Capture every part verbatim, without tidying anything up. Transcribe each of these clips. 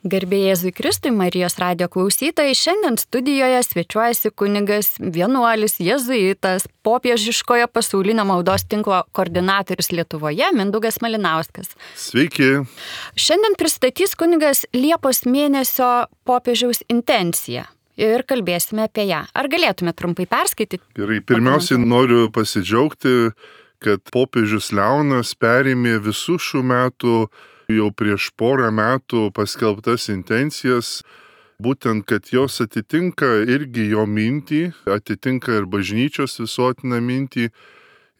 Garbė Jėzui Kristui, Marijos radijo klausytojai, šiandien studijoje svečiuojasi kunigas, vienuolis, jėzuitas, popiežiškojo pasaulinio maldos tinklo koordinatorius Lietuvoje, Mindaugas Malinauskas. Sveiki. Šiandien pristatys kunigas Liepos mėnesio popiežiaus intenciją ir kalbėsime apie ją. Ar galėtume trumpai perskaityti? Gerai, pirmiausiai noriu pasidžiaugti, kad popiežius Leonas perėmė visų šių metų jau prieš porą metų paskelbtas intencijas, būtent, kad jos atitinka irgi jo mintį, atitinka ir bažnyčios visuotiną mintį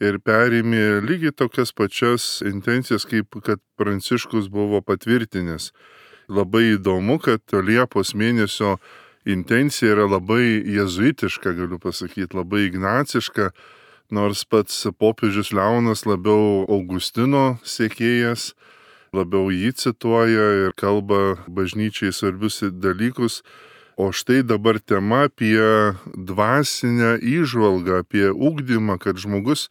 ir perėmė lygiai tokias pačias intencijas, kaip kad Pranciškus buvo patvirtinęs. Labai įdomu, kad Liepos mėnesio intencija yra labai jėzuitiška, galiu pasakyti, labai ignaciška, nors pats popiežius Leonas labiau Augustino sekėjas, labiau jį cituoja ir kalba bažnyčiai svarbius dalykus. O štai dabar tema apie dvasinę įžvalgą, apie ugdymą, kad žmogus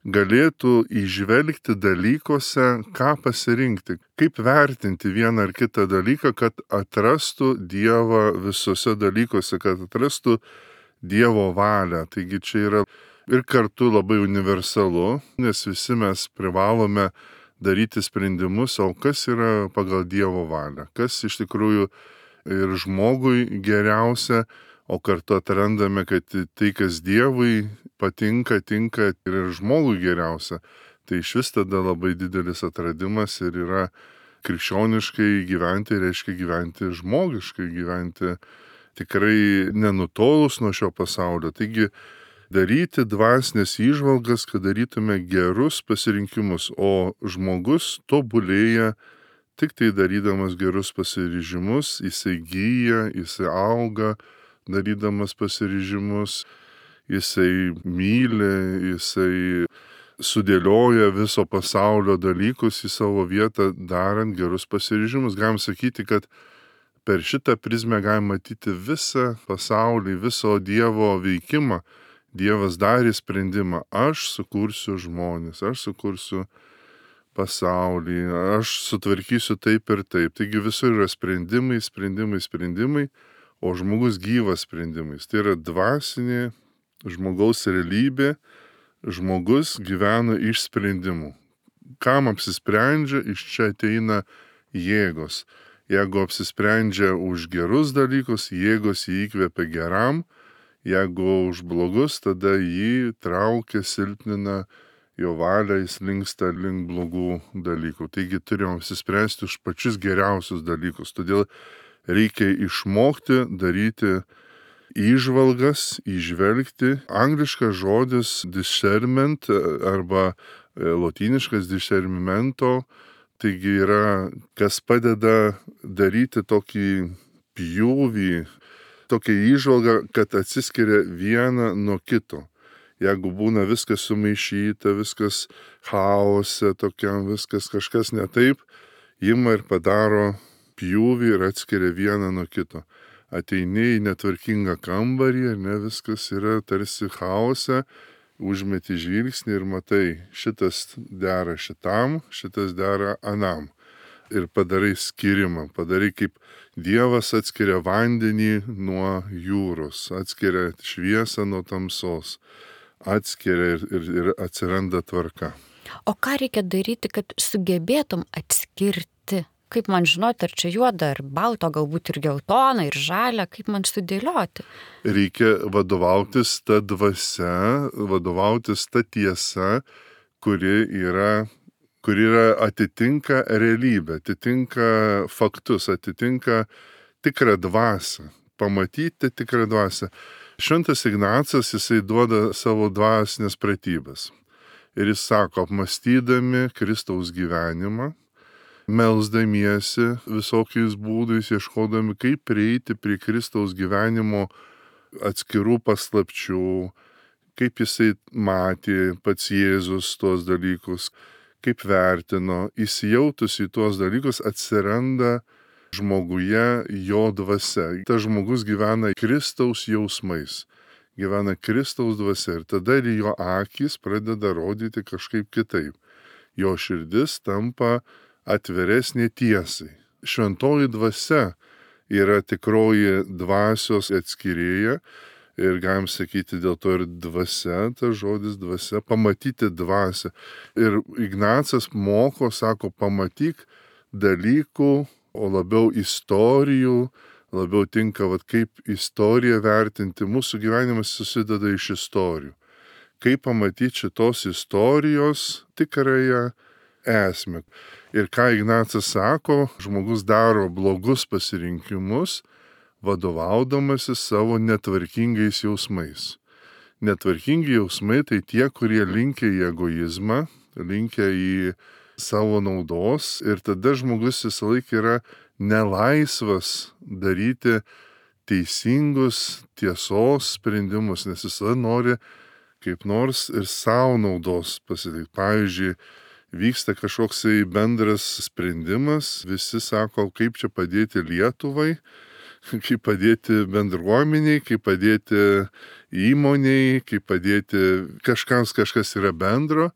galėtų įžvelgti dalykuose, ką pasirinkti, kaip vertinti vieną ar kitą dalyką, kad atrastų Dievą visose dalykuose, kad atrastų Dievo valią. Taigi čia yra ir kartu labai universalu, nes visi mes privalome daryti sprendimus, o kas yra pagal Dievo valią, kas iš tikrųjų ir žmogui geriausia, o kartu atrandame, kad tai, kas Dievui patinka, tinka ir žmogui geriausia. Tai iš vis tada labai didelis atradimas ir yra krikščioniškai gyventi, reiškia gyventi žmogiškai, gyventi tikrai nenutolus nuo šio pasaulio. Taigi, daryti dvasinės įžvalgas, kad darytume gerus pasirinkimus, o žmogus tobulėja tik tai darydamas gerus pasiryžimus, jisai gyja, jisai auga, darydamas pasiryžimus, jisai myli, jisai sudėlioja viso pasaulio dalykus į savo vietą, darant gerus pasiryžimus. Galim sakyti, kad per šitą prizmę galim matyti visą pasaulį, viso Dievo veikimą. Dievas darė sprendimą, aš sukursiu žmones, aš sukursiu pasaulį, aš sutvarkysiu taip ir taip. Taigi visur yra sprendimai, sprendimai, sprendimai, o žmogus gyvas sprendimais. Tai yra dvasinė žmogaus realybė, žmogus gyvena iš sprendimų. Kam apsisprendžia, iš čia ateina jėgos. Jeigu apsisprendžia už gerus dalykus, jėgos jį įkvepia geram. Jeigu už blogus, tada jį traukia, silpnina, jo valia, jis linksta link blogų dalykų. Taigi turime apsispręsti už pačius geriausius dalykus. Todėl reikia išmokti daryti įžvalgas, įžvelgti. Angliškas žodis discernment arba lotyniškas discernmento, taigi yra, kas padeda daryti tokį pjūvį, tokia įžvalga, kad atsiskiria viena nuo kito. Jeigu būna viskas sumaišyta, viskas chaose, tokiam viskas kažkas ne taip, ima ir padaro pjūvį ir atskiria vieną nuo kito. Ateini į netvarkingą kambarį, ne viskas yra tarsi chaose, užmeti žvilgsnį ir matai, šitas dera šitam, šitas dera anam. Ir padarai skirimą, padarai kaip Dievas atskiria vandenį nuo jūros, atskiria šviesą nuo tamsos, atskiria ir, ir, ir atsiranda tvarka. O ką reikia daryti, kad sugebėtum atskirti? Kaip man žinoti, ar čia juoda, ar balto, galbūt ir geltona, ir žalia, kaip man sudėlioti? Reikia vadovautis ta dvasia, vadovautis ta tiesa, kuri yra kuri yra atitinka realybę, atitinka faktus, atitinka tikrą dvasią, pamatyti tikrą dvasią. Šventas Ignacas, jisai duoda savo dvasinės pratybas. Ir jis sako, apmąstydami Kristaus gyvenimą, melsdamiesi visokiais būdais, ieškodami, kaip prieiti prie Kristaus gyvenimo atskirų paslapčių, kaip jisai matė pats Jėzus tuos dalykus, kaip vertino, įsijautus į tuos dalykus, atsiranda žmoguje jo dvasia. Tas žmogus gyvena Kristaus jausmais, gyvena Kristaus dvasia ir tada ir jo akys pradeda rodyti kažkaip kitaip. Jo širdis tampa atviresnė tiesai. šventoji dvasia yra tikroji dvasios atskyrėja ir galim sakyti dėl to ir dvasia, tas žodis dvasia, pamatyti dvasią. Ir Ignacas moko, sako, pamatyk dalykų, o labiau istorijų, labiau tinka, vat, kaip istoriją vertinti. Mūsų gyvenimas susideda iš istorijų. Kaip pamatyti šitos istorijos tikrąją esmę. Ir ką Ignacas sako, žmogus daro blogus pasirinkimus, vadovaudamasis savo netvarkingais jausmais. Netvarkingi jausmai tai tie, kurie linkia į egoizmą, linkia į savo naudos ir tada žmogus visą laiką yra nelaisvas daryti teisingus tiesos sprendimus, nes jis nori kaip nors ir savo naudos pasidaryti. Pavyzdžiui, vyksta kažkoksai bendras sprendimas, visi sako, kaip čia padėti Lietuvai, kaip padėti bendruomeniai, kaip padėti įmoniai, kaip padėti kažkams kažkas yra bendro.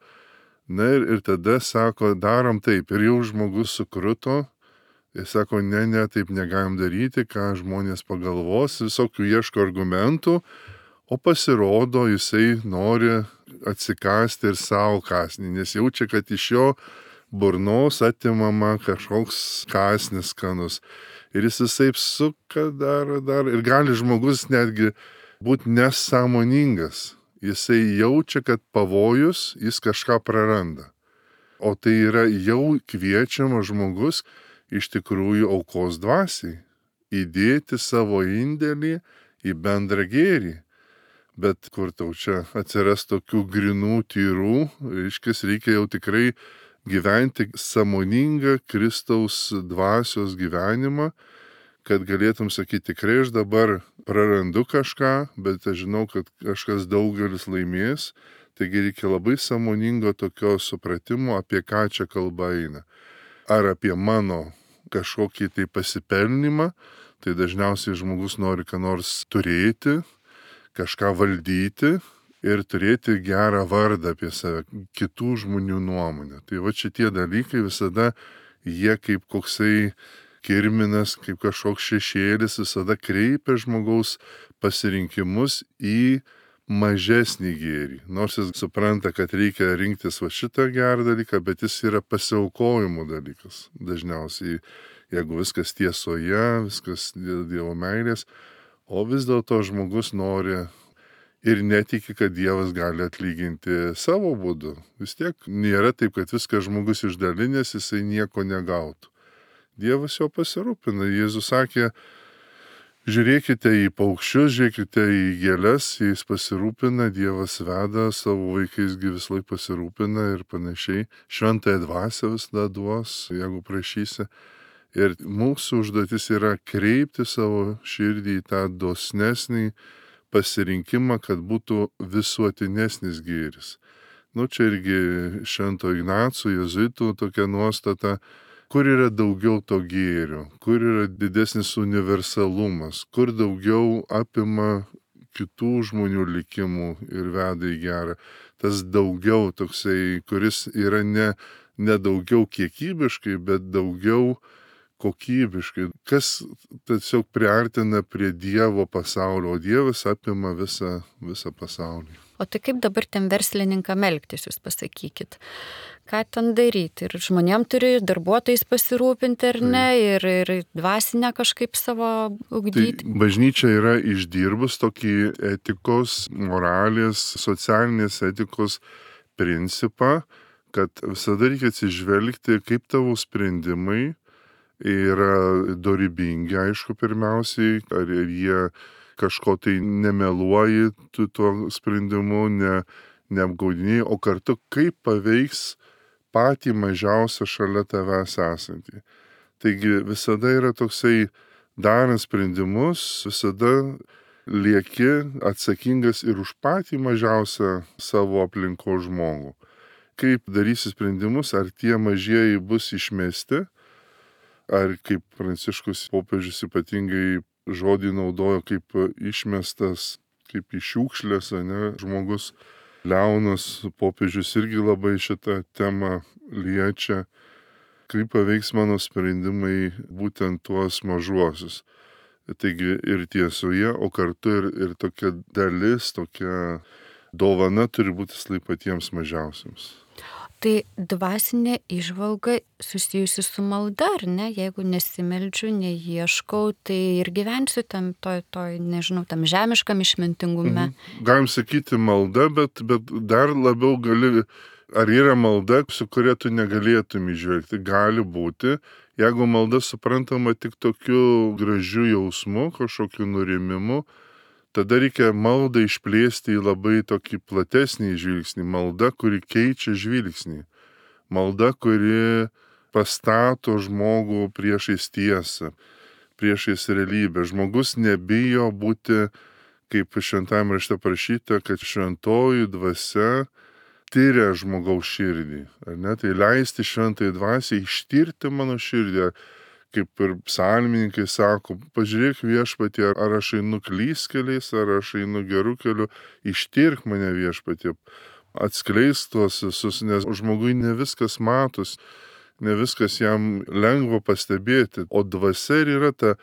Na ir, ir tada sako, darom taip. Ir jau žmogus sukruto. Ir sako, ne, ne, taip negalim daryti, ką žmonės pagalvos, visokių ieško argumentų, o pasirodo, jisai nori atsikasti ir savo kasnį, nes jaučia, kad iš jo burnos atimama kažkoks kasnis skanus. Ir jis visaip suka, daro, daro. Ir gali žmogus netgi būti nesąmoningas. Jisai jaučia, kad pavojus, jis kažką praranda. O tai yra jau kviečiamas žmogus iš tikrųjų aukos dvasiai. Įdėti savo indėlį į bendrą gėrį. Bet kur tau čia atsiras tokių grinų tyrų, reiškis reikia jau tikrai gyventi sąmoningą Kristaus dvasios gyvenimą, kad galėtum sakyti, tikrai aš dabar prarandu kažką, bet aš žinau, kad kažkas daugelis laimės, taigi reikia labai sąmoningo tokio supratimo, apie ką čia kalba eina. Ar apie mano kažkokį tai pasipelnimą, tai dažniausiai žmogus nori ką nors turėti, kažką valdyti ir turėti gerą vardą apie save, kitų žmonių nuomonę. Tai va šitie dalykai visada jie kaip koksai kirminas, kaip kažkoks šešėlis visada kreipia žmogaus pasirinkimus į mažesnį gėrį. Nors jis supranta, kad reikia rinktis va šitą gerą dalyką, bet jis yra pasiaukojimo dalykas. Dažniausiai, jeigu viskas tiesoje, viskas dėl Dievo meilės, o vis dėlto žmogus nori ir netiki, kad Dievas gali atlyginti savo būdu. Vis tiek nėra taip, kad viską žmogus išdalinės, jisai nieko negautų. Dievas jo pasirūpina. Jėzus sakė, žiūrėkite į paukščius, žiūrėkite į gėles, jais pasirūpina, Dievas veda, savo vaikaisgi vis laik pasirūpina ir panašiai. Šventąją dvasią visada duos, jeigu prašysi. Ir mūsų užduotis yra kreipti savo širdį į tą dosnesnį pasirinkimą, kad būtų visuotinesnis gėris. Nu, čia irgi Švento Ignaco jėzuitų tokia nuostata, kur yra daugiau to gėrio, kur yra didesnis universalumas, kur daugiau apima kitų žmonių likimų ir veda į gerą. Tas daugiau toksai, kuris yra ne, ne daugiau kiekybiškai, bet daugiau kokybiškai, kas tiesiog priartina prie Dievo pasaulio, o Dievas apima visą, visą pasaulį. O tai kaip dabar tiem verslininkam elgtis, jūs pasakykit? Ką ten daryti? Ir žmonėm turi darbuotojais pasirūpinti ar ne, ir, ir dvasinę kažkaip savo ugdyti? Tai bažnyčia yra išdirbus tokį etikos, moralės, socialinės etikos principą, kad visada reikia atsižvelgti, kaip tavo sprendimai yra dorybingi, aišku, pirmiausiai, ar jie kažko tai nemeluoji tu tuo sprendimu, ne, neapgaudiniai, o kartu kaip paveiks patį mažiausią šalia tavęs esantį. Taigi visada yra toksai, darant sprendimus, visada lieki atsakingas ir už patį mažiausią savo aplinko žmogų. Kaip darysi sprendimus, ar tie mažieji bus išmesti, ar kaip Pranciškus popiežius ypatingai žodį naudojo kaip išmestas, kaip iš šiukšlės, ne, žmogus. Leonas popiežius irgi labai šitą temą liečia. kaip paveiks mano sprendimai būtent tuos mažuosius. Taigi ir tiesoje, o kartu ir, ir tokia dalis, tokia dovana turi būti slai patiems mažiausiams. Tai dvasinė įžvalga susijusi su malda, ar ne? Jeigu nesimeldžiu, neieškau, tai ir gyvensiu tam, toj, toj, nežinau, tam žemiškam išmintingume. Mhm. Galim sakyti malda, bet, bet dar labiau gali, ar yra malda, su kuria tu negalėtum įžvelgti. Gali būti, jeigu malda suprantama tik tokiu gražiu jausmu, kažkokiu nurimimu, tada reikia maldą išplėsti į labai tokį platesnį žvilgsnį. Malda, kuri keičia žvilgsnį. Malda, kuri pastato žmogų priešais tiesą, priešais realybę. Žmogus nebijo būti, kaip šventajame rašte parašyta, kad šventoji dvasia tyria žmogaus širdį. Ar ne? Tai leisti šventai dvasiai ištirti mano širdį. Kaip ir psalmininkai sako, pažiūrėk viešpatie, ar aš einu klystkeliais, ar aš einu gerų keliu, ištirk mane viešpatie, atskleisk tuos visus, nes žmogui ne viskas matos, ne viskas jam lengva pastebėti, o dvasia yra ta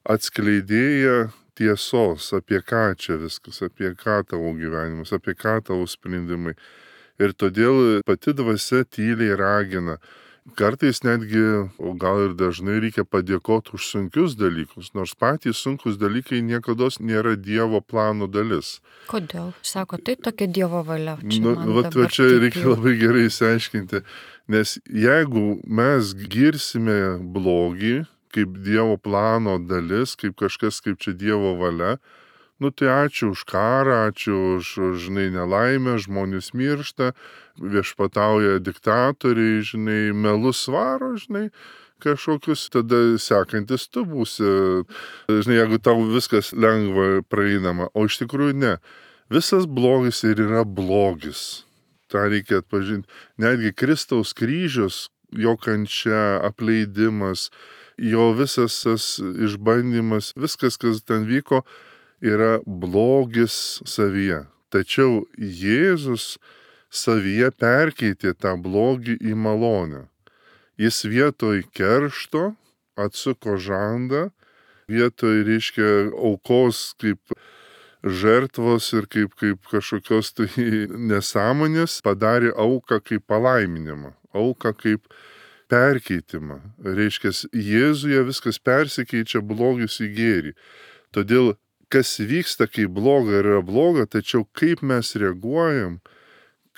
atskleidėja tiesos, apie ką čia viskas, apie ką tavo gyvenimas, apie ką tavo sprendimai. Ir todėl pati dvasia tyliai ragina. Kartais netgi, o gal ir dažnai reikia padėkoti už sunkius dalykus, nors patys sunkus dalykai niekados nėra Dievo plano dalis. Kodėl? Sako, tai tokia Dievo valia. Nu, vat, va čia reikia jau labai gerai įsiaiškinti, nes jeigu mes girsime blogį kaip Dievo plano dalis, kaip kažkas, kaip čia Dievo valia, nu tai ačiū už karą, ačiū už, žinai, nelaimę, žmonės miršta, viešpatauja diktatoriai, žinai, melus svaro, žinai, kažkokius, tada sekantis tu būsi, žinai, jeigu tau viskas lengva praeinama, o iš tikrųjų ne. Visas blogis ir yra blogis. Ta reikia atpažinti. Netgi Kristaus kryžius, jo kančia, apleidimas, jo visas tas išbandymas, viskas, kas ten vyko, yra blogis savyje. Tačiau Jėzus savyje perkeitė tą blogį į malonę. Jis vietoj keršto atsuko žandą, vietoj, reiškia, aukos kaip žertvos ir kaip, kaip kažkokios tai nesąmonės padarė auką kaip palaiminimą, auką kaip perkeitimą. Reiškia, Jėzuje viskas persikeičia blogis į gėrį. Todėl kas vyksta, kai bloga yra bloga, tačiau kaip mes reaguojam,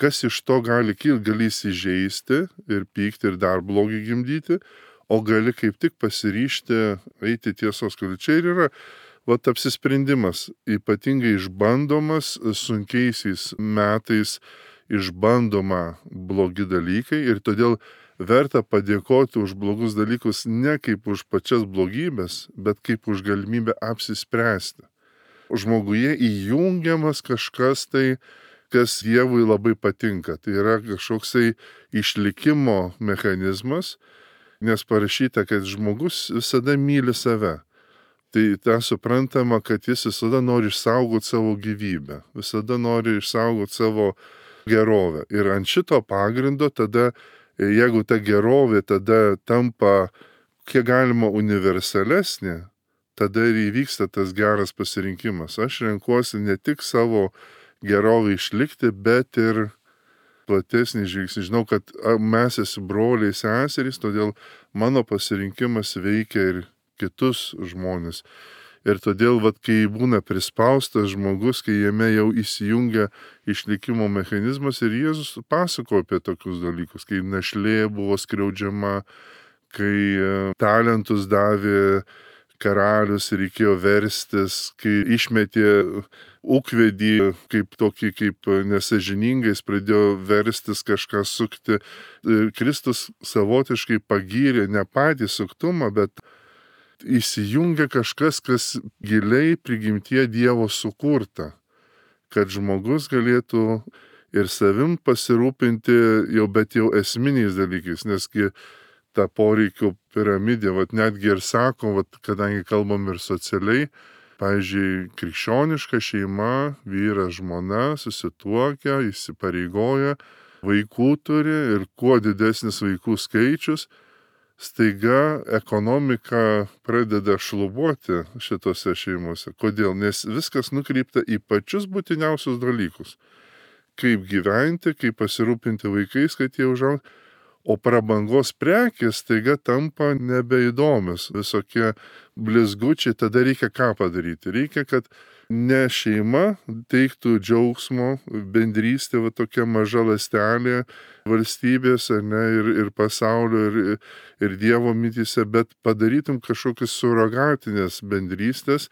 kas iš to gali kilti, gali įsižeisti ir pykti ir dar blogį gimdyti, o gali kaip tik pasiryžti eiti tiesos keliu. Čia ir yra vat apsisprendimas, ypatingai išbandomas sunkiaisiais metais, išbandoma blogi dalykai ir todėl verta padėkoti už blogus dalykus ne kaip už pačias blogybės, bet kaip už galimybę apsispręsti. Žmoguje įjungiamas kažkas tai, kas Dievui labai patinka. Tai yra kažkoksai išlikimo mechanizmas, nes parašyta, kad žmogus visada myli save. Tai tą suprantama, kad jis visada nori išsaugoti savo gyvybę, visada nori išsaugoti savo gerovę. Ir ant šito pagrindo tada, jeigu ta gerovė tada tampa kiek galima universalesnė, tada ir įvyksta tas geras pasirinkimas. Aš renkuosi ne tik savo gerovę išlikti, bet ir platesnį žvilgsnį. Žinau, kad mes esi broliai seserys, todėl mano pasirinkimas veikia ir kitus žmonės. Ir todėl, vat, kai būna prispaustas žmogus, kai jame jau įsijungia išlikimo mechanizmas ir Jėzus pasako apie tokius dalykus, kai našlė buvo skriaudžiama, kai talentus davė karalius ir reikėjo verstis, kai išmetė ūkvedį kaip tokį, kaip nesažiningais, pradėjo verstis kažką sukti. Ir Kristus savotiškai pagyrė ne patį suktumą, bet įsijungia kažkas, kas giliai prigimtie Dievo sukurta, kad žmogus galėtų ir savim pasirūpinti jau, bet jau esminiais dalykais, nesgi ta poreikių piramidė, vat netgi ir sako, vat, kadangi kalbam ir socialiai, pavyzdžiui, krikščioniška šeima, vyras, žmona susituokia, įsipareigoja, vaikų turi ir kuo didesnis vaikų skaičius, staiga ekonomika pradeda šlubuoti šitose šeimose. Kodėl? Nes viskas nukreipta į pačius būtiniausius dalykus. Kaip gyventi, kaip pasirūpinti vaikais, kad jie užaugtų. O prabangos prekės staiga tampa nebeįdomios. Visokie blizgučiai, tada reikia ką padaryti? Reikia, kad ne šeima teiktų džiaugsmo, bendrystė, va tokia maža ląstelė valstybės, ne, ir, ir pasaulio, ir, ir Dievo mityse, bet padarytum kažkokias surogatinės bendrystės,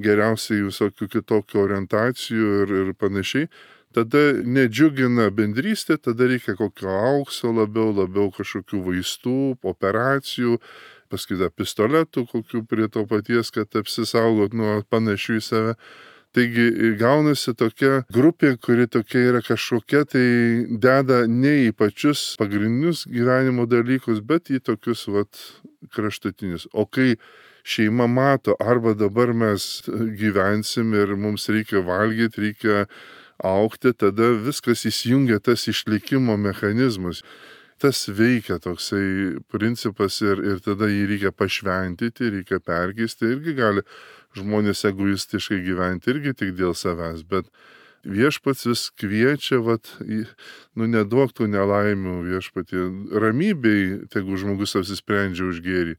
geriausiai visokių kitokių orientacijų ir, ir panašiai. Tada nedžiugina bendrystė, tada reikia kokio aukso labiau, labiau kažkokių vaistų, operacijų, paskui pistoletų kokių prie to paties, kad apsisaugot nuo panašių į save. Taigi gaunasi tokia grupė, kuri tokia yra kažkokia, tai deda ne į pačius pagrindinius gyvenimo dalykus, bet į tokius vat kraštutinius. O kai šeima mato, arba dabar mes gyvensim ir mums reikia valgyti, reikia aukti, tada viskas įsijungia tas išlikimo mechanizmas. Tas veikia toksai principas ir, ir tada jį reikia pašventyti, reikia perkeisti, irgi gali žmonės egoistiškai gyventi, irgi tik dėl savęs, bet viešpats vis kviečia, vat, nu neduok tų nelaimių viešpatį, ramybei, tegu žmogus apsisprendžia už gėrį.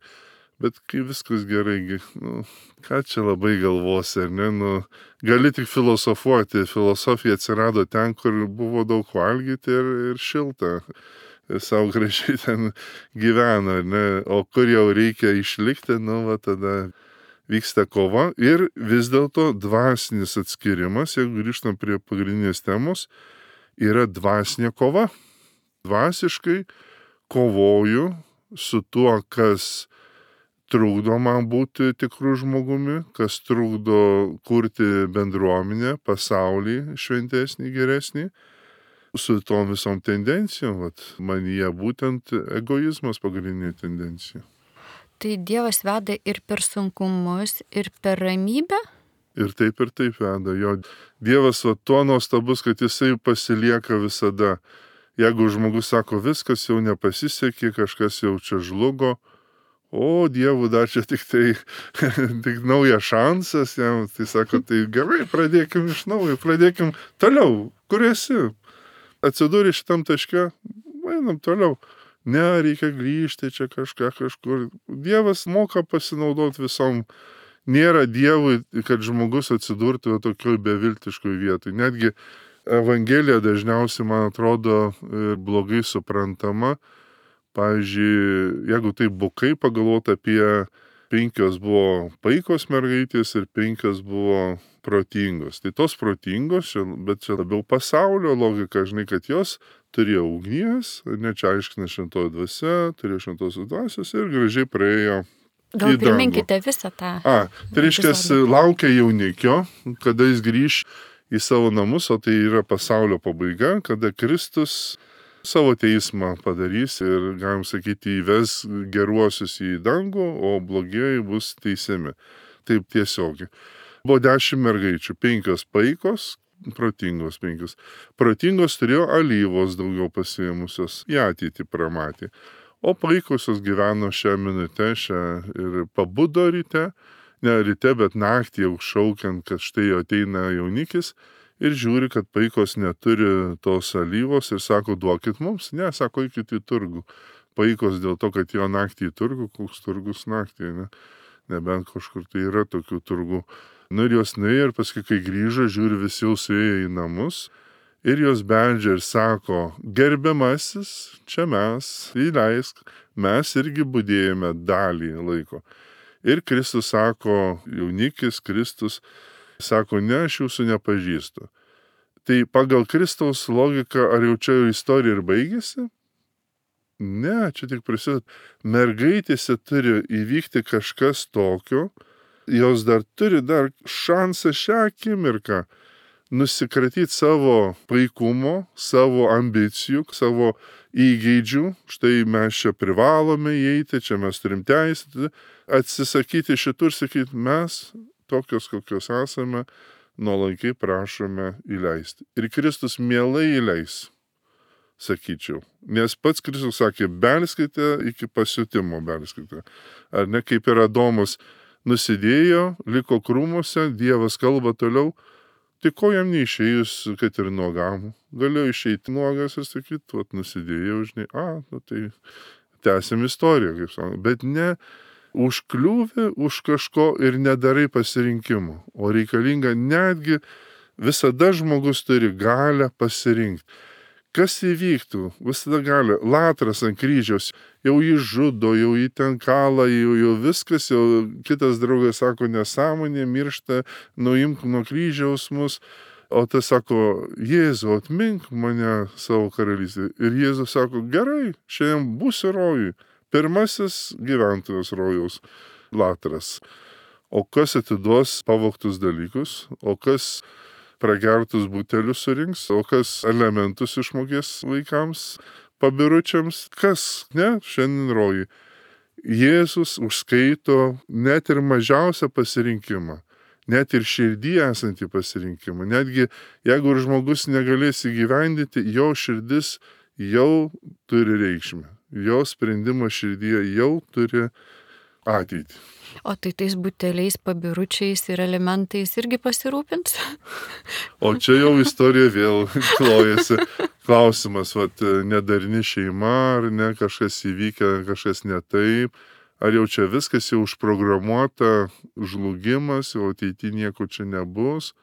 Bet kai viskas gerai, nu, ką čia labai galvosi, ar ne, nu, gali tik filosofuoti. Filosofija atsirado ten, kur buvo daug valgyti ir, ir šilta. Ir savo gražiai ten gyveno, ar ne, o kur jau reikia išlikti, nu, va, tada vyksta kova. Ir vis dėlto dvasinis atskirimas, jeigu grįžtam prie pagrindinės temos, yra dvasinė kova. Dvasiškai kovoju su tuo, kas trukdo man būti tikrų žmogumi, kas trukdo kurti bendruomenę, pasaulį šventesnį, geresnį, su tom visom tendencijom, vat, manyje būtent egoizmas pagrindinė tendencija. Tai Dievas veda ir per sunkumus, ir per ramybę? Ir taip ir taip veda. Jo Dievas va, tuo nuostabus, kad jisai pasilieka visada. Jeigu žmogus sako, viskas jau nepasisekė, kažkas jau čia žlugo, o Dievų dar čia tik tai tik naujas šansas, jam, tai sako, tai gerai, pradėkim iš naujo, pradėkim toliau, kur esi. Atsidūrė šitam taške, einam toliau. Ne, reikia grįžti čia kažką kažkur. Dievas moka pasinaudoti visom. Nėra Dievui, kad žmogus atsidurtų tokioj beviltiškoj vietoj. Netgi Evangelija dažniausiai, man atrodo, blogai suprantama. Pavyzdžiui, jeigu taip bukai pagalvoti apie penkios buvo paikos mergaitės ir penkios buvo protingos. Tai tos protingos, bet čia labiau pasaulio logika, žinai, kad jos turėjo ugnies, ne čia aiškina šventoji dvasia, turėjo šventosios dvasios ir gražiai praėjo. Gal priminkite visą tą. A, tai reiškia, laukia jaunikio, kada jis grįš į savo namus, o tai yra pasaulio pabaiga, kada Kristus savo teismą padarys ir, galim sakyti, įves geruosius į dangų, o blogieji bus teisiami. Taip tiesiogiai. Buvo dešimt mergaičių, penkios paikos, protingos penkios. Protingos turėjo alyvos daugiau pasiėmusios, į ateitį pramatė. O paikosios gyveno šią minutę, šią ir pabudo ryte, ne ryte, bet naktį jau šaukiant, kad štai ateina jaunikis, ir žiūri, kad paikos neturi tos alyvos ir sako, duokit mums. Ne, sako, eikit į turgų. Paikos dėl to, kad jo naktį į turgų, koks turgus naktį, ne? Nebent kažkur tai yra tokių turgų. Nu ir jos nuėjo ir paskui, kai grįžo, žiūri, visi jau suėjo į namus ir jos beldžia ir sako, gerbiamasis, čia mes, įleisk, mes irgi budėjome dalį laiko. Ir Kristus sako, jaunikis Kristus, sako, ne, aš jūsų nepažįstu. Tai pagal Kristaus logiką, ar jau čia istorija ir baigėsi? Ne, čia tik prasideda. Mergaitėse turi įvykti kažkas tokio, jos dar turi dar šansą šią akimirką nusikratyti savo paikumo, savo ambicijų, savo įgeidžių. Štai mes čia privalome įeiti, čia mes turim teisę, atsisakyti šitų ir sakyti, mes tokios, kokios esame, nuolankiai prašome įleisti. Ir Kristus mielai įleis. sakyčiau. Nes pats Kristus sakė, belskite iki pasiutimo belskite. Ar ne, kaip ir Adomas nusidėjo, liko krūmuose, Dievas kalba toliau, tai ko jam neišėjus, kad ir nuogam. Galėjo išeiti nuogas ir sakyti, vat nusidėjau, žinai, a, nu tai tęsiam istoriją, kaip sakoma. Bet ne užkliūvi už kažko ir nedarai pasirinkimo, o reikalinga netgi visada žmogus turi galę pasirinkti. Kas įvyktų, visada gali, Latras ant kryžiaus, jau jį žudo, jau jį ten kala, jau, jau viskas, jau kitas draugas sako nesąmonė, miršta, nuimk nuo kryžiaus mus, o tas sako, Jėzau, atmink mane savo karalystę. Ir Jėzus sako, gerai, šiandien būsi rojui, pirmasis gyventojas rojaus, Latras. O kas atiduos pavogtus dalykus, o kas pragertus butelius surinks, o kas elementus išmokės vaikams, pabiručiams, kas, ne, šiandien rojui. Jėzus užskaito net ir mažiausią pasirinkimą, net ir širdį esantį pasirinkimą. Netgi jeigu ir žmogus negalės įgyvendyti, jo širdis jau turi reikšmę. Jo sprendimas širdyje jau turi ateitį. O tai tais buteliais, pabiručiais ir elementais irgi pasirūpins? O čia jau istorija vėl klojasi. Klausimas, vat, nedarni šeima, ar ne, kažkas įvykę, kažkas ne taip. Ar jau čia viskas jau užprogramuota, žlugimas, jau ateityje nieko čia nebus.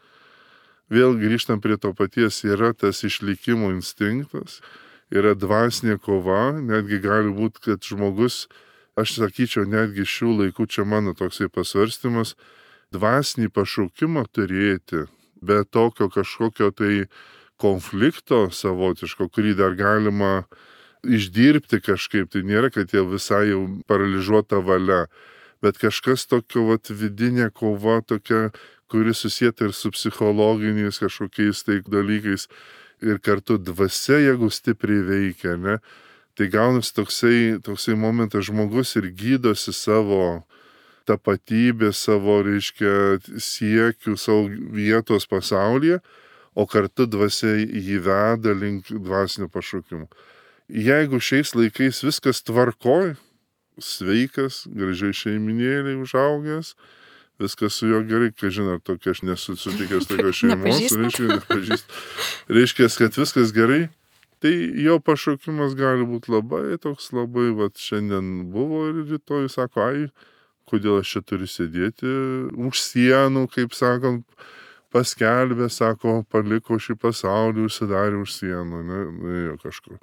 Vėl grįžtam prie to paties, yra tas išlikimo instinktas, yra dvasinė kova, netgi gali būti, kad žmogus, aš sakyčiau, netgi šių laikų čia mano toksai pasvarstymas, dvasinį pašaukimą turėti, be tokio kažkokio tai konflikto savotiško, kurį dar galima išdirbti kažkaip, tai nėra, kad jau visai jau paralyžiuota valia, bet kažkas tokio vat, vidinė kova tokia, kuri susieta ir su psichologiniais kažkokiais tai dalykais ir kartu dvasia, jeigu stipriai veikia, ne? Tai gaunasi toksai, toksai momentas, žmogus ir gydosi savo tapatybę, savo, reiškia, siekių, savo vietos pasaulyje, o kartu dvasia jį veda link dvasinio pašaukimo. Jeigu šiais laikais viskas tvarkoj, sveikas, gražiai šeiminėliai užaugęs, viskas su juo gerai, kai žinot, tokia aš nesu sutikęs tokios šeimos, reiškia, nepažįstu. Reiškia, kad viskas gerai, tai jo pašaukimas gali būti labai toks, labai, vat šiandien buvo ir rytoj sako, ai, kodėl aš čia turiu sėdėti už sienų, kaip sakant, paskelbė, sako, paliko šį pasaulį, užsidarė už sienų, ne, ne kažkur.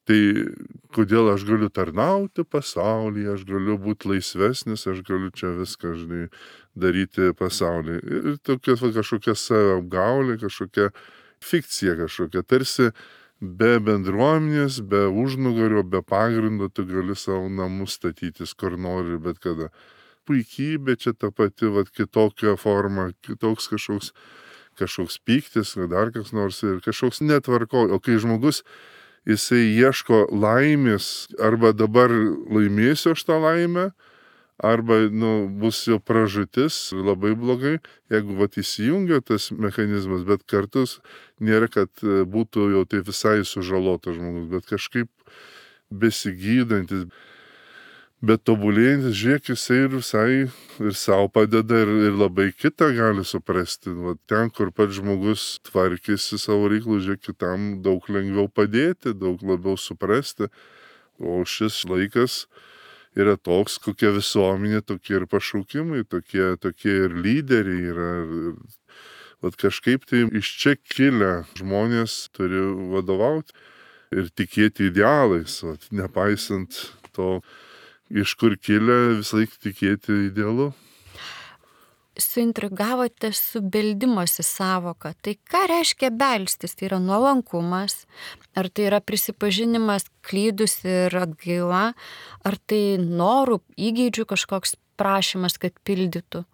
Tai kodėl aš galiu tarnauti pasaulyje, aš galiu būti laisvesnis, aš galiu čia viską, žinai, daryti pasaulyje. Ir tokia va, kažkokia savapgaulė, kažkokia fikcija kažkokia, tarsi be bendruomenės, be užnugario, be pagrindo tu gali savo namus statytis, kur nori, bet kada. Puikybė čia ta pati, va, kitokia forma, kitoks kažkoks, kažkoks pyktis, dar kas nors ir kažkoks netvarko. O kai žmogus jisai ieško laimės, arba dabar laimėsiu aš tą laimę, arba nu, bus jo pražūtis labai blogai, jeigu vat, įsijungia tas mechanizmas, bet kartus nėra, kad būtų jau tai visai sužalotas žmogus, bet kažkaip besigydantis, bet tobulėjantis, žiūrėk, jisai ir visai ir savo padeda ir, ir labai kitą gali suprasti. Vat ten, kur pats žmogus tvarkėsi savo reikalų, žiūrėk, kitam daug lengviau padėti, daug labiau suprasti. O šis laikas yra toks, kokia visuomenė, tokie ir pašaukimai, tokie, tokie ir lyderiai yra. Ir, vat kažkaip tai iš čia kilę žmonės turi vadovauti ir tikėti idealais, vat, nepaisant to, iš kur kilę, visą laiką tikėti idealu. Suintrigavote su beldimosi savoka. Tai ką reiškia belstis? Tai yra nuolankumas, ar tai yra prisipažinimas klydus ir atgaila, ar tai norų, įgeidžių kažkoks prašymas, kad pildytų?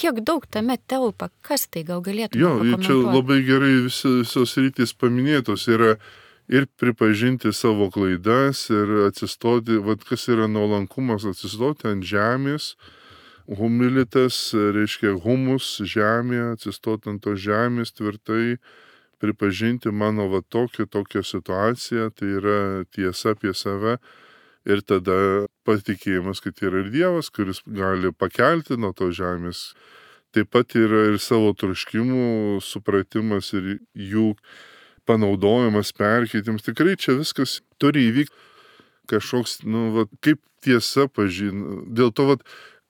Kiek daug tame telpa? Kas tai gal galėtų pakomentuoti? Jo, čia labai gerai visi, visos rytis paminėtos yra. Ir pripažinti savo klaidas ir atsistoti, vad kas yra nuolankumas, atsistoti ant žemės, humilitas, reiškia humus žemė, atsistoti ant to žemės tvirtai, pripažinti mano va tokią, tokią situaciją, tai yra tiesa apie save. Ir tada patikėjimas, kad yra ir Dievas, kuris gali pakelti nuo to žemės. Taip pat yra ir savo troškimų supratimas ir jų panaudojimas, perkeitimas. Tikrai čia viskas turi įvykti kažkoks, nu, va, kaip tiesa pažina. Dėl to, va,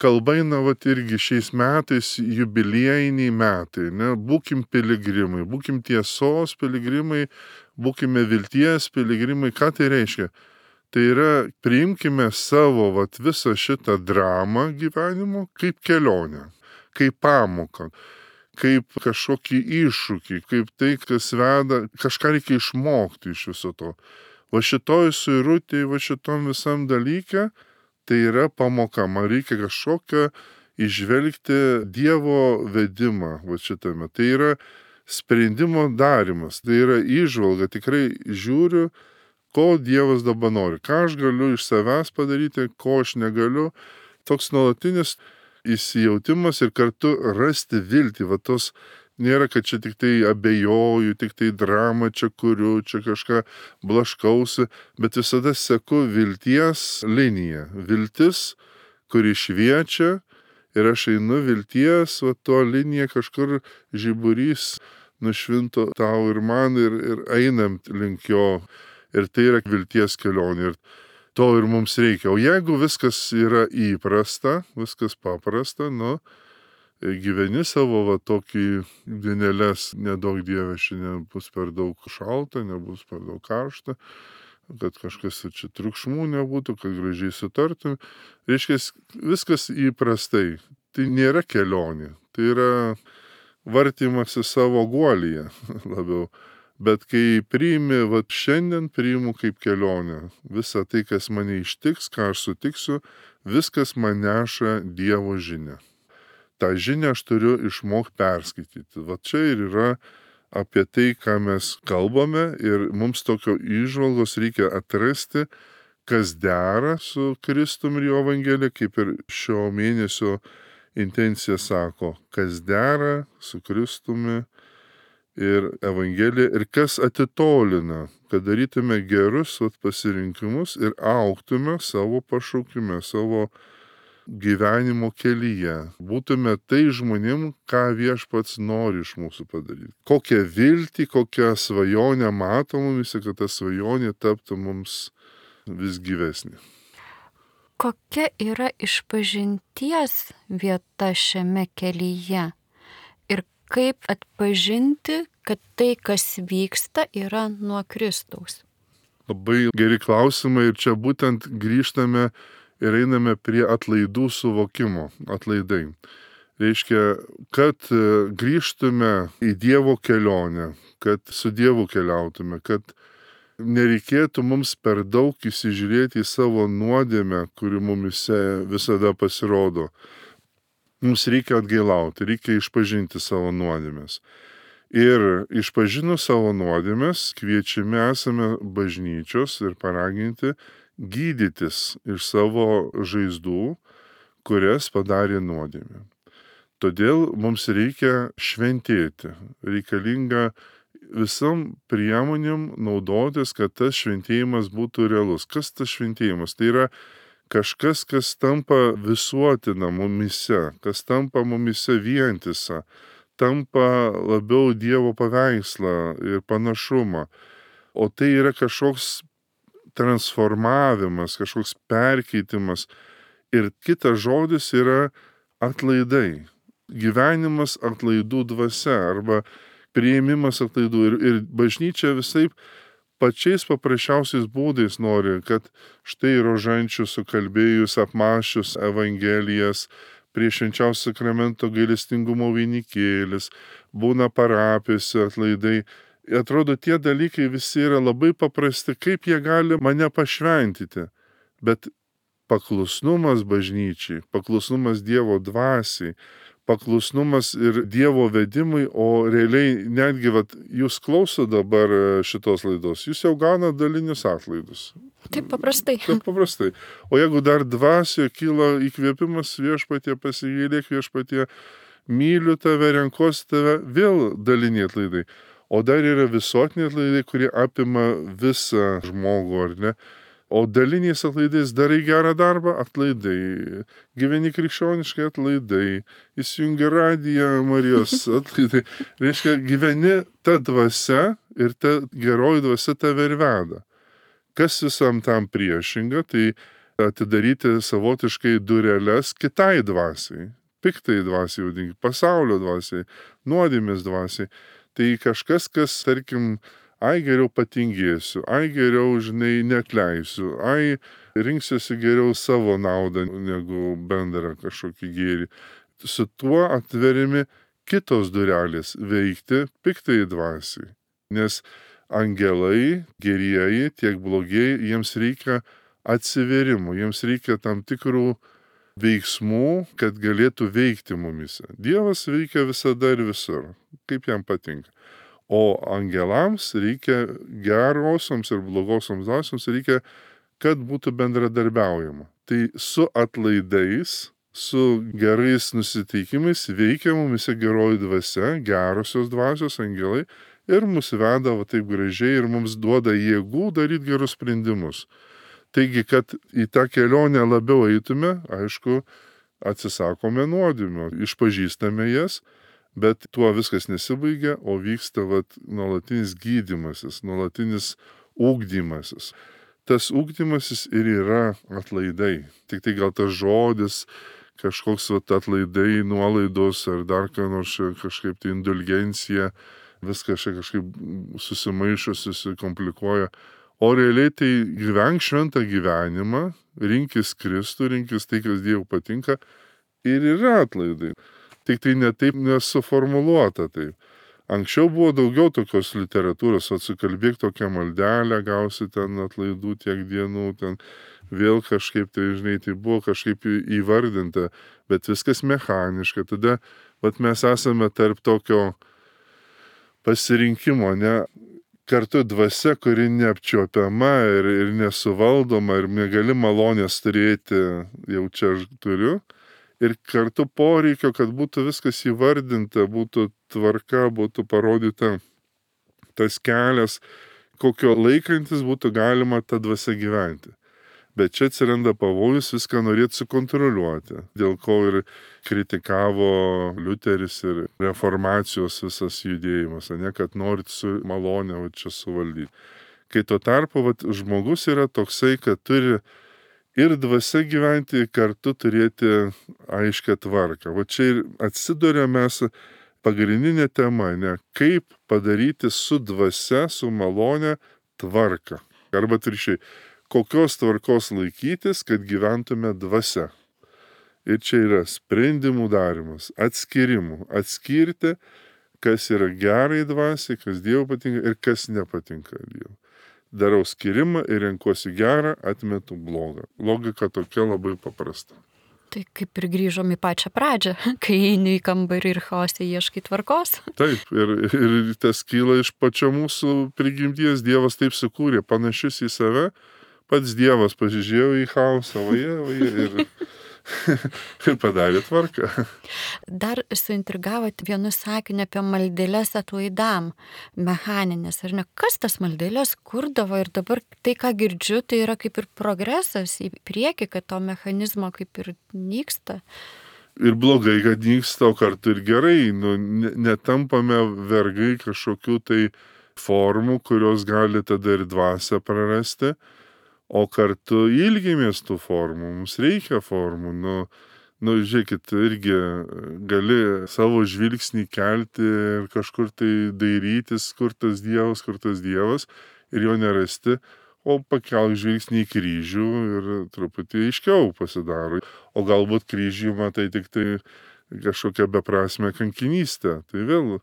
kalba eina, va, irgi šiais metais jubiliejiniai metai, ne? Būkim piligrimai, būkim tiesos piligrimai, būkime vilties piligrimai. Ką tai reiškia? Tai yra, priimkime savo, va, visą šitą dramą gyvenimo kaip kelionę, kaip pamoką, kaip kažkokį iššūkį, kaip tai, kas veda, kažką reikia išmokti iš viso to. Va šitoj suirutėj, va šitom visam dalyke, tai yra pamoka. Man reikia kažkokią išvelgti Dievo vedimą va šitame. Tai yra sprendimo darimas, tai yra įžvalga. Tikrai žiūriu, ko Dievas dabar nori, ką aš galiu iš savęs padaryti, ko aš negaliu. Toks nuolatinis įsijautimas ir kartu rasti viltį. Va tos nėra, kad čia tik tai abejoju, tik tai dramą čia kuriu, čia kažką blaškausi, bet visada seku vilties liniją. Viltis, kuri šviečia ir aš einu vilties, va to linija kažkur žiburys nušvinto tau ir man ir, ir einam link jo. Ir tai yra vilties kelionė. Ir to ir mums reikia. O jeigu viskas yra įprasta, viskas paprasta, nu, gyveni savo va tokį dienelės, nedaug Dieve, šiandien bus per daug šalta, nebus per daug karšta, kad kažkas čia triukšmų nebūtų, kad gražiai sutartum. Reiškia, viskas įprastai. Tai nėra kelionė. Tai yra vartymas į savo guolyje labiau. Bet kai priimi, va šiandien priimu kaip kelionę. Visa tai, kas mane ištiks, ką aš sutiksiu, viskas man neša Dievo žinią. Ta žinia aš turiu išmokti perskaityti. Va čia ir yra apie tai, ką mes kalbame ir mums tokio įžvalgos reikia atrasti, kas dera su Kristumi ir jo Evangelija, kaip ir šio mėnesio intencija sako, kas dera su Kristumi ir Evangelija ir kas atitolina, kad darytume gerus vat, pasirinkimus ir augtume savo pašaukime, savo gyvenimo kelyje. Būtume tai žmonėm, ką Viešpats nori iš mūsų padaryti. Kokią viltį, kokią svajonę mato mums, kad ta svajonė taptų mums vis gyvesnė. Kokia yra išpažinties vieta šiame kelyje? Ir kaip atpažinti, kad tai, kas vyksta, yra nuo Kristaus? Labai geri klausimai ir čia būtent grįžtame ir einame prie atlaidų suvokimo. Atlaidai. Reiškia, kad grįžtume į Dievo kelionę, kad su Dievu keliautume, kad nereikėtų mums per daug įsižiūrėti į savo nuodėmę, kuri mumise visada pasirodo. Mums reikia atgailauti, reikia išpažinti savo nuodėmes. Ir išpažinus savo nuodėmes, kviečiami esame bažnyčios ir paraginti gydytis iš savo žaizdų, kurias padarė nuodėmė. Todėl mums reikia šventėti, reikalinga visam priemonėm naudotis, kad tas šventėjimas būtų realus. Kas tas šventėjimas? Tai yra kažkas, kas tampa visuotina mumise, kas tampa mumise vientisa, tampa labiau Dievo paveikslą ir panašumą. O tai yra kažkoks transformavimas, kažkoks perkeitimas. Ir kitas žodis yra atlaidai. Gyvenimas atlaidų dvasia arba priėmimas atlaidų. Ir, ir bažnyčia visaip pačiais paprasčiausiais būdais nori, kad štai rožančių sukalbėjus, apmąsčius Evangelijas, prie švenčiausio sakramento gailestingumo vainikėlis, būna parapijose atlaidai. Atrodo, tie dalykai visi yra labai paprasti, kaip jie gali mane pašventyti. Bet paklusnumas bažnyčiai, paklusnumas Dievo dvasiai, paklusnumas ir Dievo vedimui, o realiai netgi, vat, jūs klauso dabar šitos laidos, jūs jau gauna dalinius atlaidus. Taip paprastai. Taip paprastai. O jeigu dar dvasioje kyla įkvėpimas Viešpatie, pasigailėk Viešpatie, myliu tave, renkuosi tave, vėl daliniai atlaidai. O dar yra visuotiniai atlaidai, kurie apima visą žmogų, ar ne? O daliniais atlaidais darai gerą darbą, atlaidai, gyveni krikščioniškai, atlaidai, įsijungi radiją, Marijos atlaidai. Reiškia, gyveni ta dvasia ir ta geroji dvasia tave ir veda. Kas visam tam priešinga, tai atidaryti savotiškai dureles kitai dvasiai, piktai dvasiai, vadinkim, pasaulio dvasiai, nuodėmės dvasiai. Tai kažkas, kas, tarkim, ai geriau patingėsiu, ai geriau, žinai, neatleisiu, ai rinksiuosi geriau savo naudą negu bendrą kažkokį gėrį. Su tuo atveriami kitos durelės veikti piktai dvasiai. Nes angelai, gerieji, tiek blogieji, jiems reikia atsiverimų, jiems reikia tam tikrų veiksmų, kad galėtų veikti mumise. Dievas veikia visada ir visur, kaip jam patinka. O angelams reikia gerosioms ir blogosioms dvasioms reikia, kad būtų bendradarbiaujama. Tai su atlaidais, su gerais nusiteikimais veikia mumise geroji dvasia, gerosios dvasios angelai ir mus veda va taip gražiai ir mums duoda jėgų daryti gerus sprendimus. Taigi, kad į tą kelionę labiau eitume, aišku, atsisakome nuodėmių, išpažįstame jas, bet tuo viskas nesibaigia, o vyksta vat, nuolatinis gydymasis, nuolatinis ugdymasis. Tas ugdymasis ir yra atlaidai. Tik tai gal tas žodis, kažkoks vat, atlaidai, nuolaidos ar dar ką nors kažkaip tai indulgencija, viskas čia kažkaip susimaišo, susikomplikuoja. O realiai tai gyvenk šventą gyvenimą, rinkis Kristų, rinkis tai, kas Dievui patinka ir yra atlaidai. Tik tai netaip nesuformuluota taip. Anksčiau buvo daugiau tokios literatūros, atsikalbėk tokią maldelę, gausi ten atlaidų tiek dienų, ten vėl kažkaip tai, žinai, tai buvo kažkaip įvardinta, bet viskas mechaniška. Tada, vat mes esame tarp tokio pasirinkimo, ne? Kartu dvasia, kuri neapčiuopiama ir, ir nesuvaldoma ir negali malonės turėti, jau čia aš turiu. Ir kartu poreikio, kad būtų viskas įvardinta, būtų tvarka, būtų parodyta tas kelias, kokio laikantis būtų galima tą dvasią gyventi. Bet čia atsiranda pavojus viską norėti sukontroliuoti, dėl ko ir kritikavo Liuteris ir reformacijos visas judėjimas, ne, kad norit su malonė va, čia suvaldyti. Kai tuo tarpu va, žmogus yra toksai, kad turi ir dvasia gyventi, kartu turėti aiškę tvarką. Va čia ir atsiduria mes pagrindinė tema, ne, kaip padaryti su dvasia, su malonė tvarką. Arba atvirkščiai, kokios tvarkos laikytis, kad gyventume dvasia. Ir čia yra sprendimų darimas, atskirimų. Atskirti, kas yra gerai dvasiai, kas Dievui patinka ir kas nepatinka Dievui. Darau skirimą ir renkuosi gerą, atmetu blogą. Logika tokia labai paprasta. Tai kaip ir grįžom į pačią pradžią, kai eini į kambarį ir chaose ieškai tvarkos. Taip, ir, ir tas kyla iš pačio mūsų prigimties. Dievas taip sukūrė, panašius į save. Pats Dievas pasižiūrėjo į chaosą, vaje, vaje, ir, ir padarė tvarką. Dar suintrigavot vienu sakiniu apie maldeles atlaidam, mechaninės, ar ne? Kas tas maldeles kurdavo ir dabar tai, ką girdžiu, tai yra kaip ir progresas į priekį, kad to mechanizmo kaip ir nyksta. Ir blogai, kad nyksta, o kartu ir gerai. Nu, netampame vergai kažkokių tai formų, kurios gali tada ir dvasią prarasti. O kartu ilgimės tų formų, mums reikia formų. Nu, nu, žiūrėkit, irgi gali savo žvilgsnį kelti ir kažkur tai dairytis, kur tas Dievas, kur tas Dievas, ir jo nerasti, o pakelk žvilgsnį į kryžių ir truputį aiškiau pasidaro. O galbūt kryžių matai tik tai kažkokią beprasmę kankinystę. Tai vėl,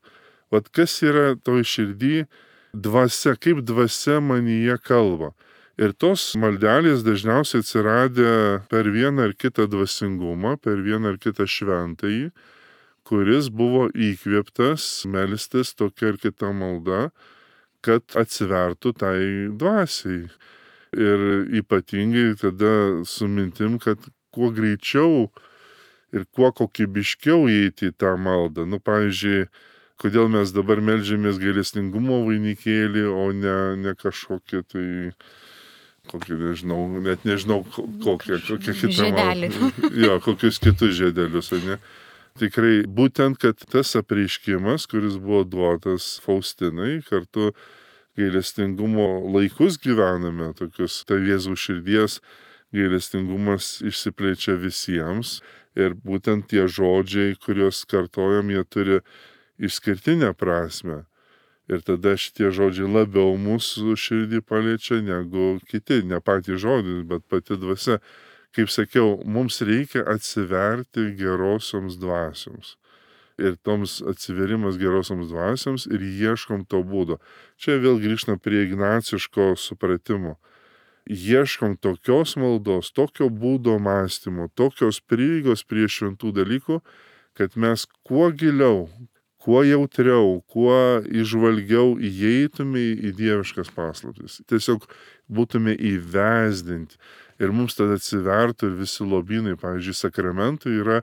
vat kas yra toj širdį dvasia, kaip dvasia manyje kalba. Ir tos maldelės dažniausiai atsiradę per vieną ar kitą dvasingumą, per vieną ar kitą šventąjį, kuris buvo įkvėptas melstis tokia ar kita malda, kad atsivertų tai dvasiai. Ir ypatingai tada su mintim, kad kuo greičiau ir kuo kokybiškiau įeiti į tą maldą. Nu, pavyzdžiui, Kodėl mes dabar meldžiamės gailestingumo vainikėlį, o ne, ne kažkokį tai, kokį nežinau, net nežinau kokią, kokią kitą. Žiedelių. Jo, kokius kitus žiedelius, ar ne? Tikrai būtent, kad tas apreiškimas, kuris buvo duotas Faustinai, kartu gailestingumo laikus gyvename, tokius tai Jėzaus širdies gailestingumas išsiplečia visiems ir būtent tie žodžiai, kuriuos kartojam, jie turi išskirtinę prasme. Ir tada šitie žodžiai labiau mūsų širdį paliečia negu kiti, ne patys žodžiai, bet pati dvasia. Kaip sakiau, mums reikia atsiverti gerosioms dvasioms. Ir toms atsiverimas gerosioms dvasioms ir ieškom to būdo. Čia vėl grįžtam prie ignaciško supratimo. Ieškom tokios maldos, tokio būdo mąstymo, tokios prieigos prie šventų dalykų, kad mes kuo giliau, kuo jautriau, kuo įžvalgiau įeitume į dieviškas paslaptis. Tiesiog būtume įvesdinti. Ir mums tada atsivertų ir visi lobynai, pavyzdžiui, sakramentai yra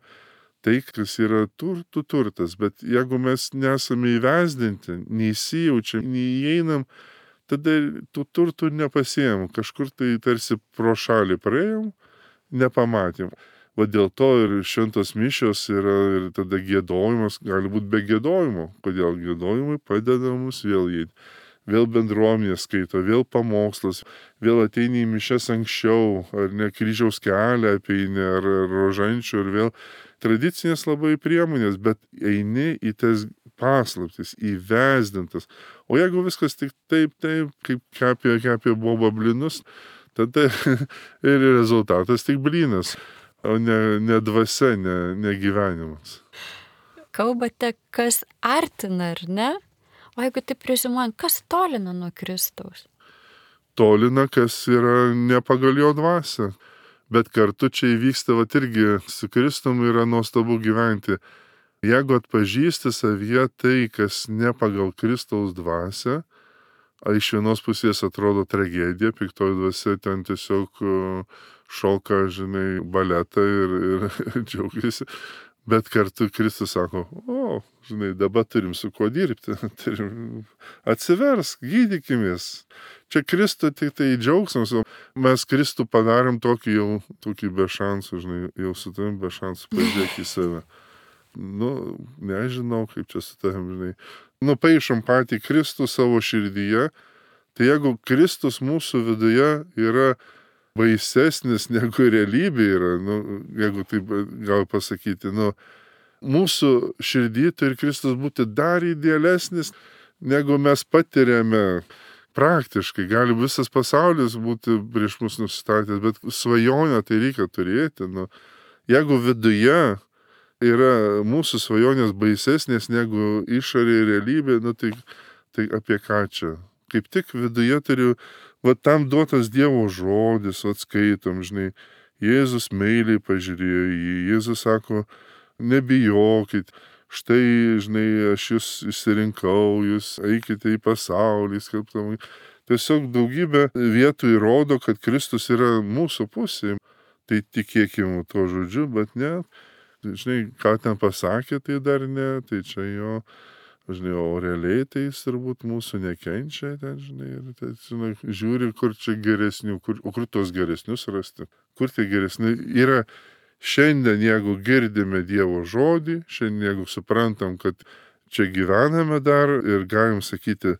tai, kas yra turtų turtas, bet jeigu mes nesame įvesdinti, neįsijaučiam, neįeinam, tada tų turtų nepasiejam, kažkur tai tarsi pro šalį praėjom, nepamatėm. Va dėl to ir šventos mišios yra ir tada giedojimas, gali būti be giedojimo. Kodėl giedojimai padeda mums vėl įeiti. Vėl bendruomenė skaito, vėl pamokslas, vėl ateini į mišias anksčiau, ar ne kryžiaus kelią apeini, ar rožančių, ir vėl tradicinės labai priemonės, bet eini į tas paslaptis, įvesdintas. O jeigu viskas tik taip, taip, kaip kepė, kepė boba blinus, tada ir rezultatas tik blinas, o ne, ne dvasia, ne, ne gyvenimas. Kalbate, kas artina, ar ne? O jeigu taip rezimuojant, kas tolina nuo Kristaus? Tolina, kas yra ne pagal jo dvasią. Bet kartu čia įvyksta, vat irgi su Kristum yra nuostabu gyventi. Jeigu atpažįsti savyje tai, kas ne pagal Kristaus dvasią, a iš vienos pusės atrodo tragedija, piktoji dvasia ten tiesiog šoka, žinai, baletą ir, ir džiaugiasi. Bet kartu Kristus sako, o, žinai, dabar turim su kuo dirbti, turim atsiversk, gydykimės. Čia Kristų tik tai džiaugsmas, o mes Kristų padarėm tokį jau, tokį be šansų, žinai, jau su tavim be šansų, pažiūrėk į save. Nu, nežinau, kaip čia su tavim, žinai. Nupaišom patį Kristų savo širdyje, tai jeigu Kristus mūsų viduje yra baisesnis negu realybė yra, nu, jeigu taip gal pasakyti, nu, mūsų širdį turi Kristus būti dar idealesnis, negu mes patiriame praktiškai. Gali visas pasaulis būti prieš mus nusistatęs, bet svajonę tai reikia turėti. Nu, jeigu viduje yra mūsų svajonės baisesnės negu išorė realybė, nu, tai, tai apie ką čia? Kaip tik viduje turiu, va tam duotas Dievo žodis, atskaitom, žinai, Jėzus meiliai pažiūrėjo į jį, Jėzus sako, nebijokit, štai, žinai, aš jūs išsirinkau, jūs eikite į pasaulį, skelbtamai. Tiesiog daugybė vietų įrodo, kad Kristus yra mūsų pusėje. Tai tikėkime tuo žodžiu, bet ne, žinai, ką ten pasakė, tai dar ne, tai čia jo, žinai, o realiai tai jis turbūt mūsų nekenčia, ten, žinai, ir tai, žinai, žiūri, kur čia geresnių, kur, o kur tos geresnius rasti, kur tie geresni yra. Šiandien, jeigu girdime Dievo žodį, šiandien, jeigu suprantam, kad čia gyvename dar ir galim sakyti,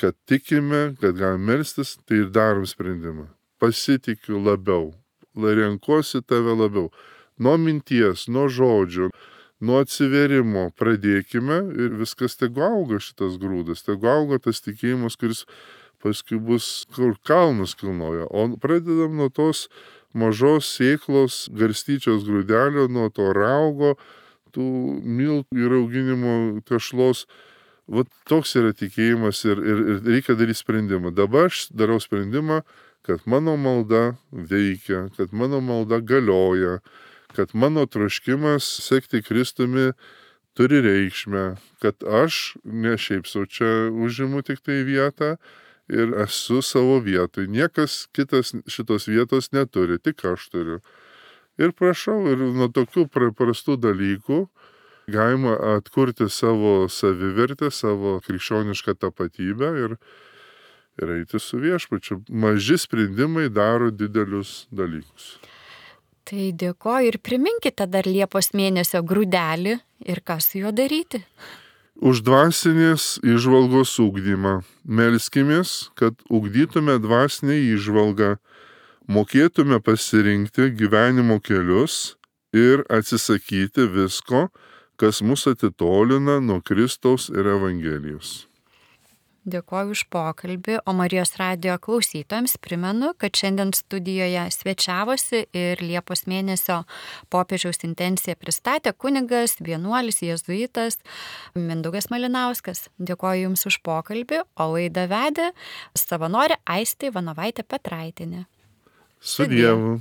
kad tikime, kad galim melstis, tai ir darom sprendimą. Pasitikiu labiau, renkuosi tave labiau. Nuo minties, nuo žodžio, nuo atsiverimo pradėkime ir viskas tegu auga šitas grūdas, tegu auga tas tikėjimas, kuris paskui bus kur kalnus kilnoja. O pradedam nuo tos mažos sėklos garstyčios grūdelio, nuo to raugo, tų miltų ir auginimo tešlos. Vat toks yra tikėjimas ir, ir, ir reikia daryti sprendimą. Dabar aš darau sprendimą, kad mano malda veikia, kad mano malda galioja, kad mano troškimas sekti Kristumi turi reikšmę, kad aš ne šiaip sau čia užimu tik tai vietą, ir esu savo vietoj. Niekas kitas šitos vietos neturi, tik aš turiu. Ir prašau, ir nuo tokių paprastų dalykų galima atkurti savo savivertę, savo krikščionišką tapatybę ir, ir eiti su viešpačiu. Maži sprendimai daro didelius dalykus. Tai dėkoju ir priminkite dar Liepos mėnesio grūdelį ir ką su juo daryti. Už dvasinės įžvalgos ugdymą. Melskimės, kad ugdytume dvasinę įžvalgą, mokėtume pasirinkti gyvenimo kelius ir atsisakyti visko, kas mus atitolina nuo Kristaus ir Evangelijos. Dėkoju už pokalbį, o Marijos radijo klausytojams primenu, kad šiandien studijoje svečiavosi ir Liepos mėnesio popiežiaus intenciją pristatė kunigas, vienuolis, jėzuitas Mindaugas Malinauskas. Dėkoju Jums už pokalbį, o laidą vedė savanorė Aistė Ivanovaitė Petraitienė. Su Dievu.